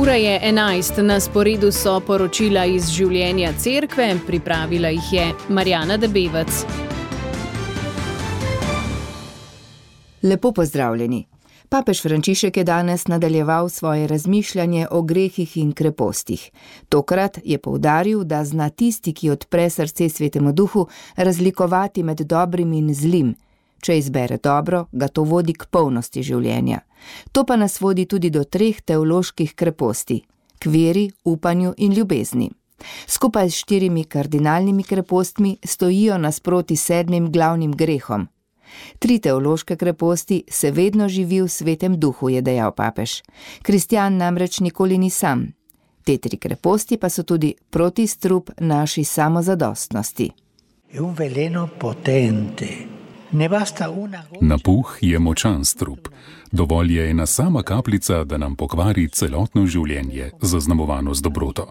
Ura je 11, na sporedu so poročila iz življenja cerkve, pripravila jih je Marjana Debevec. Lepo pozdravljeni. Papež Frančišek je danes nadaljeval svoje razmišljanje o grehih in krepostih. Tokrat je poudaril, da zna tisti, ki odpre srce Svetemu Duhu, razlikovati med dobrim in zlim. Če izbere dobro, ga to vodi k polnosti življenja. To pa nas vodi tudi do 3 teoloških kreposti: k veri, upanju in ljubezni. Skupaj s 4 kardinalnimi krepostmi stojijo nasproti 7 glavnim grehom. 3 teološke kreposti se vedno živi v Svetem Duhu, je dejal papež. Kristjan namreč nikoli ni sam. Te 3 kreposti pa so tudi protistrup naši samozadostnosti. Napuh je močan strup. Dovolj je ena sama kapljica, da nam pokvari celotno življenje, zaznamovano z dobroto.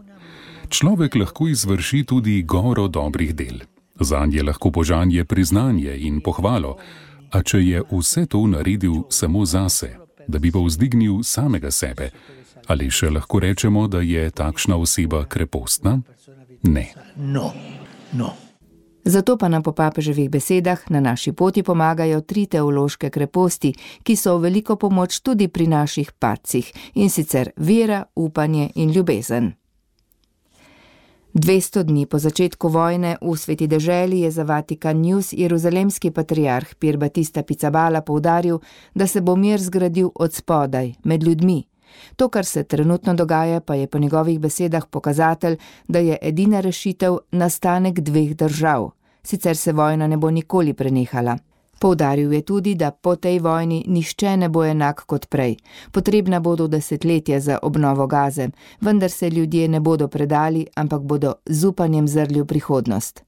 Človek lahko izvrši tudi goro dobrih del. Zanj je lahko požanje priznanje in pohvalo, a če je vse to naredil samo zase, da bi povzdignil samega sebe, ali še lahko rečemo, da je takšna oseba krepostna? Ne. Zato pa nam po papeževih besedah na naši poti pomagajo 3 teološke kreposti, ki so v veliko pomoč tudi pri naših padcih, in sicer vera, upanje in ljubezen. 200 dni po začetku vojne v Sveti deželi je za Vatikan News jeruzalemski patriarh Pier Battista Pizzaballa poudaril, da se bo mir zgradil od spodaj, med ljudmi. To, kar se trenutno dogaja, pa je po njegovih besedah pokazatelj, da je edina rešitev nastanek 2 držav. Sicer se vojna ne bo nikoli prenehala. Poudaril je tudi, da po tej vojni nihče ne bo enak kot prej. Potrebna bodo desetletja za obnovo Gaze, vendar se ljudje ne bodo predali, ampak bodo z upanjem zrli v prihodnost.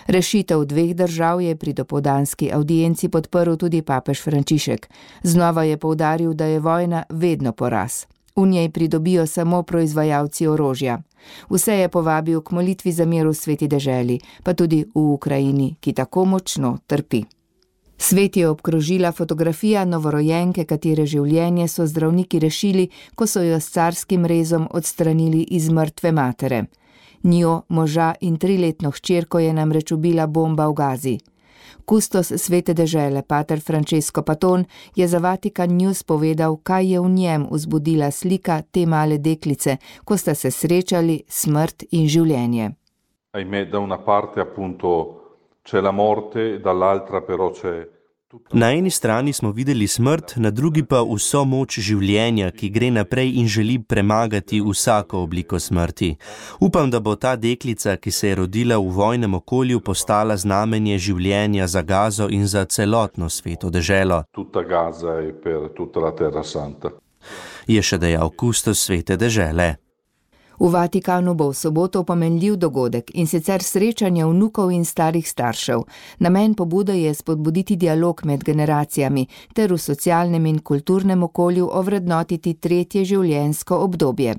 Rešitev 2 držav je pri dopoldanski avdienci podprl tudi papež Frančišek. Znova je poudaril, da je vojna vedno poraz. V njej pridobijo samo proizvajalci orožja. Vse je povabil k molitvi za mir v Sveti deželi, pa tudi v Ukrajini, ki tako močno trpi. Svet je obkrožila fotografija novorojenke, katere življenje so zdravniki rešili, ko so jo s carskim rezom odstranili iz mrtve matere. Njo, moža in 3-letno hčerko je namreč ubila bomba v Gazi. Kustos Svete dežele, pater Francesco Paton, je za Vatikan News povedal, kaj je v njem vzbudila slika te male deklice, ko sta se srečali smrt in življenje. Ahimè, da una parte appunto c'è la morte, dall'altra però c'è. Na eni strani smo videli smrt, na drugi pa vso moč življenja, ki gre naprej in želi premagati vsako obliko smrti. Upam, da bo ta deklica, ki se je rodila v vojnem okolju, postala znamenje življenja za Gazo in za celotno Sveto deželo. Tutta Gaza e per tutta la Terra Santa. Je še dejal kustos Svete dežele. V Vatikanu bo v soboto pomenljiv dogodek, in sicer srečanje vnukov in starih staršev. Namen pobude je spodbuditi dialog med generacijami ter v socialnem in kulturnem okolju ovrednotiti 3. življenjsko obdobje.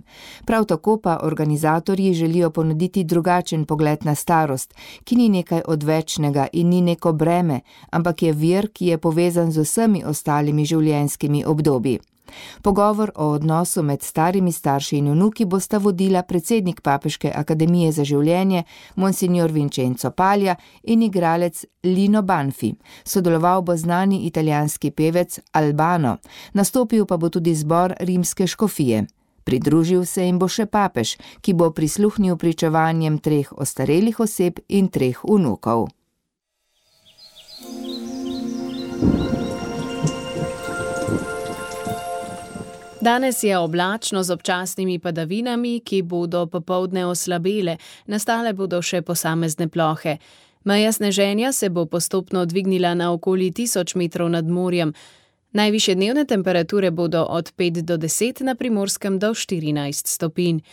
Prav tako pa organizatorji želijo ponuditi drugačen pogled na starost, ki ni nekaj odvečnega in ni neko breme, ampak je vir, ki je povezan z vsemi ostalimi življenjskimi obdobji. Pogovor o odnosu med starimi starši in vnuki bosta vodila predsednik Papeške akademije za življenje, monsignor Vincenzo Paglia, in igralec Lino Banfi. Sodeloval bo znani italijanski pevec Albano, nastopil pa bo tudi zbor rimske škofije. Pridružil se jim bo še papež, ki bo prisluhnil pričevanjem 3 ostarelih oseb in 3 vnukov. Danes je oblačno z občasnimi padavinami, ki bodo popoldne oslabele, nastale bodo še posamezne plohe. Meja sneženja se bo postopno dvignila na okoli 1000 metrov nad morjem. Najvišje dnevne temperature bodo od 5 do 10, na Primorskem do 14 stopinj.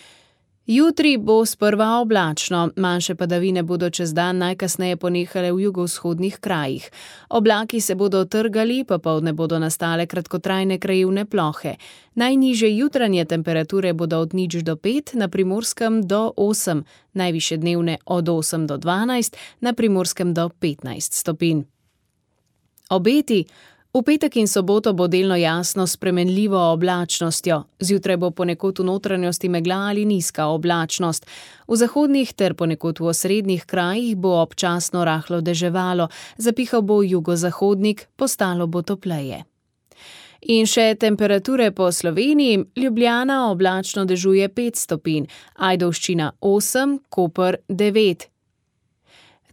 Jutri bo sprva oblačno, manjše padavine bodo čez dan najkasneje ponehale v jugovzhodnih krajih. Oblaki se bodo trgali, popoldne bodo nastale kratkotrajne krajevne plohe. Najnižje jutranje temperature bodo od 0 do 5, na Primorskem do 8, najvišje dnevne od 8 do 12, na Primorskem do 15 stopinj. Obeti. V petek in soboto bo delno jasno s spremenljivo oblačnostjo. Zjutraj bo ponekod v notranjosti megla ali nizka oblačnost. V zahodnih ter ponekod v osrednjih krajih bo občasno rahlo deževalo, zapihal bo jugozahodnik, postalo bo topleje. In še temperature po Sloveniji. Ljubljana oblačno dežuje 5 stopinj, Ajdovščina 8, Koper 9.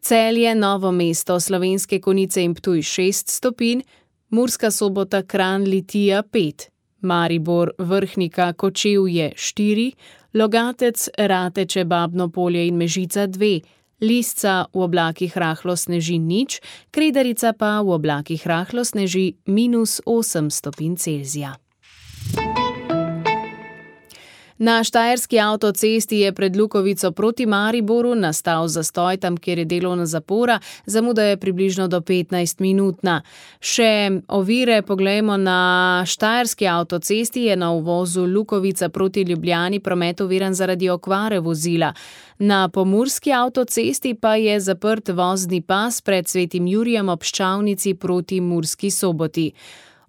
Celje, Novo mesto, Slovenske Konjice in Ptuj 6 stopinj, Murska Sobota, Kranj, Litija 5, Maribor, Vrhnika, Kočevje 4, Logatec, Rateče, Babno Polje in Mežica 2, Lisca v oblakih rahlo sneži 0, Kredarica pa v oblakih rahlo sneži -8 stopinj Celzija. Na štajerski avtocesti je pred Lukovico proti Mariboru nastal zastoj tam, kjer je delovna zapora, zamuda je približno do 15-minutna. Še ovire poglejmo. Na štajerski avtocesti je na uvozu Lukovica proti Ljubljani promet oviran zaradi okvare vozila. Na pomurski avtocesti pa je zaprt vozni pas pred Svetim Jurijem ob Ščavnici proti Murski Soboti.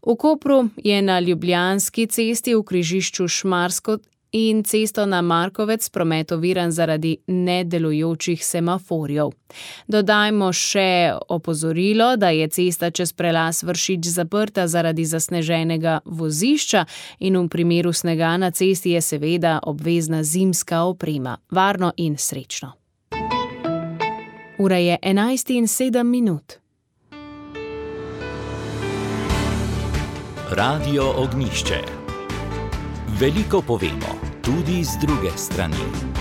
V Kopru je na Ljubljanski cesti v križišču Šmarsko in cesto na Markovec promet oviran zaradi nedelujočih semaforjev. Dodajmo še opozorilo, da je cesta čez prelaz Vršič zaprta zaradi zasneženega vozišča in v primeru snega na cesti je seveda obvezna zimska oprema. Varno in srečno. Ura je 11:07. Radio Ognjišče. Veliko povemo, tudi z druge strani.